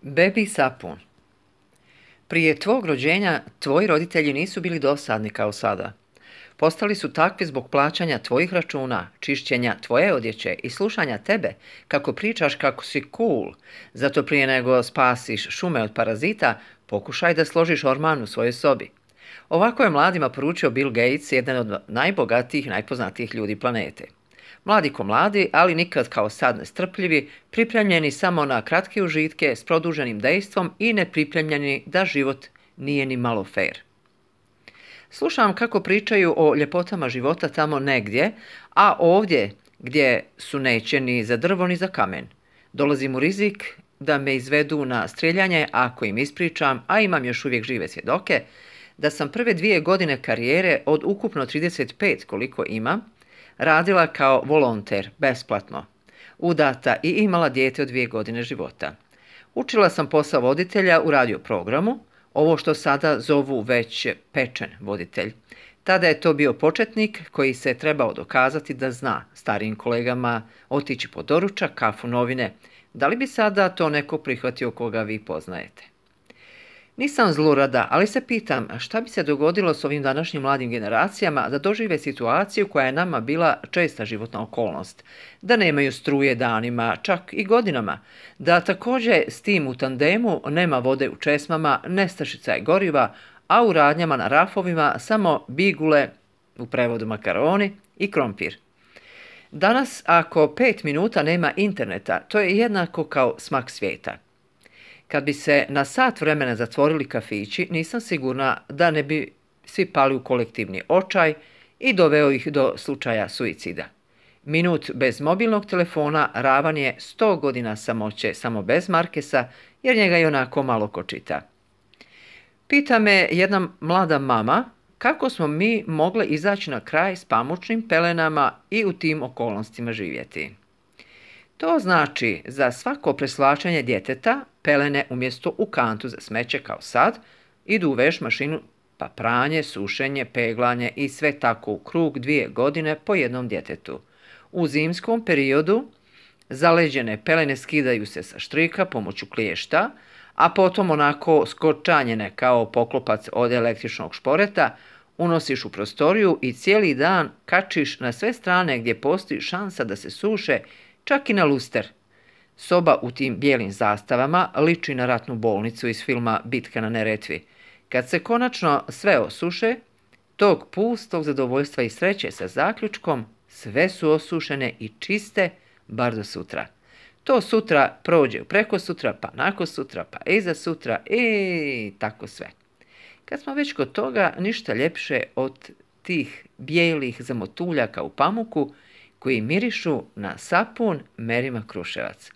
Bebi sapun. Prije tvog rođenja tvoji roditelji nisu bili dosadni kao sada. Postali su takvi zbog plaćanja tvojih računa, čišćenja tvoje odjeće i slušanja tebe kako pričaš kako si cool. Zato prije nego spasiš šume od parazita, pokušaj da složiš orman u svojoj sobi. Ovako je mladima poručio Bill Gates, jedan od najbogatijih i najpoznatijih ljudi planete. Mladi ko mladi, ali nikad kao sad nestrpljivi, pripremljeni samo na kratke užitke s produženim dejstvom i nepripremljeni da život nije ni malo fair. Slušam kako pričaju o ljepotama života tamo negdje, a ovdje gdje su neće ni za drvo ni za kamen. Dolazim u rizik da me izvedu na strijeljanje ako im ispričam, a imam još uvijek žive svjedoke, da sam prve 2 godine karijere od ukupno 35 koliko imam, radila kao volonter, besplatno, udata i imala dijete od 2 godine života. Učila sam posao voditelja u radio programu, ovo što sada zovu već pečen voditelj. Tada je to bio početnik koji se trebao dokazati da zna starijim kolegama otići po doručak, kafu, novine. Da li bi sada to neko prihvatio koga vi poznajete? Nisam zlurada, ali se pitam šta bi se dogodilo s ovim današnjim mladim generacijama da dožive situaciju koja je nama bila česta životna okolnost, da nemaju struje danima, čak i godinama, da također s tim u tandemu nema vode u česmama, nestašica je goriva, a u radnjama na rafovima samo bigule, u prevodu makaroni, i krompir. Danas ako 5 minuta nema interneta, to je jednako kao smak svijeta. Kad bi se na sat vremena zatvorili kafići, nisam sigurna da ne bi svi pali u kolektivni očaj i doveo ih do slučaja suicida. Minut bez mobilnog telefona ravan je 100 godina samoće samo bez Markesa, jer njega i onako malo ko čita. Pita me jedna mlada mama kako smo mi mogle izaći na kraj s pamučnim pelenama i u tim okolnostima živjeti. To znači za svako preslačenje djeteta pelene umjesto u kantu za smeće kao sad idu u veš mašinu, pa pranje, sušenje, peglanje i sve tako u krug 2 godine po jednom djetetu. U zimskom periodu zaleđene pelene skidaju se sa štrika pomoću kliješta, a potom onako skočanjene kao poklopac od električnog šporeta unosiš u prostoriju i cijeli dan kačiš na sve strane gdje postoji šansa da se suše, čak i na luster. Soba u tim bijelim zastavama liči na ratnu bolnicu iz filma Bitka na Neretvi. Kad se konačno sve osuše, tog pustog zadovoljstva i sreće sa zaključkom, sve su osušene i čiste, bar do sutra. To sutra prođe preko sutra, pa nakon sutra, pa iza sutra i tako sve. Kad smo već kod toga, ništa ljepše od tih bijelih zamotuljaka u pamuku koji mirišu na sapun Merima Kruševac.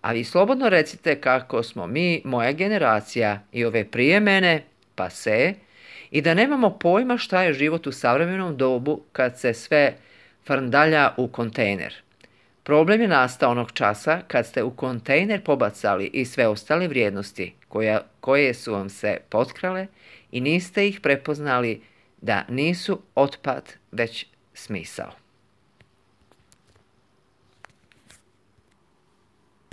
A vi slobodno recite kako smo mi, moja generacija i ove prije mene, pase, i da nemamo pojma šta je život u savremenom dobu kad se sve frndalja u kontejner. Problem je nastao onog časa kad ste u kontejner pobacali i sve ostale vrijednosti koje su vam se potkrale i niste ih prepoznali da nisu otpad već smisao.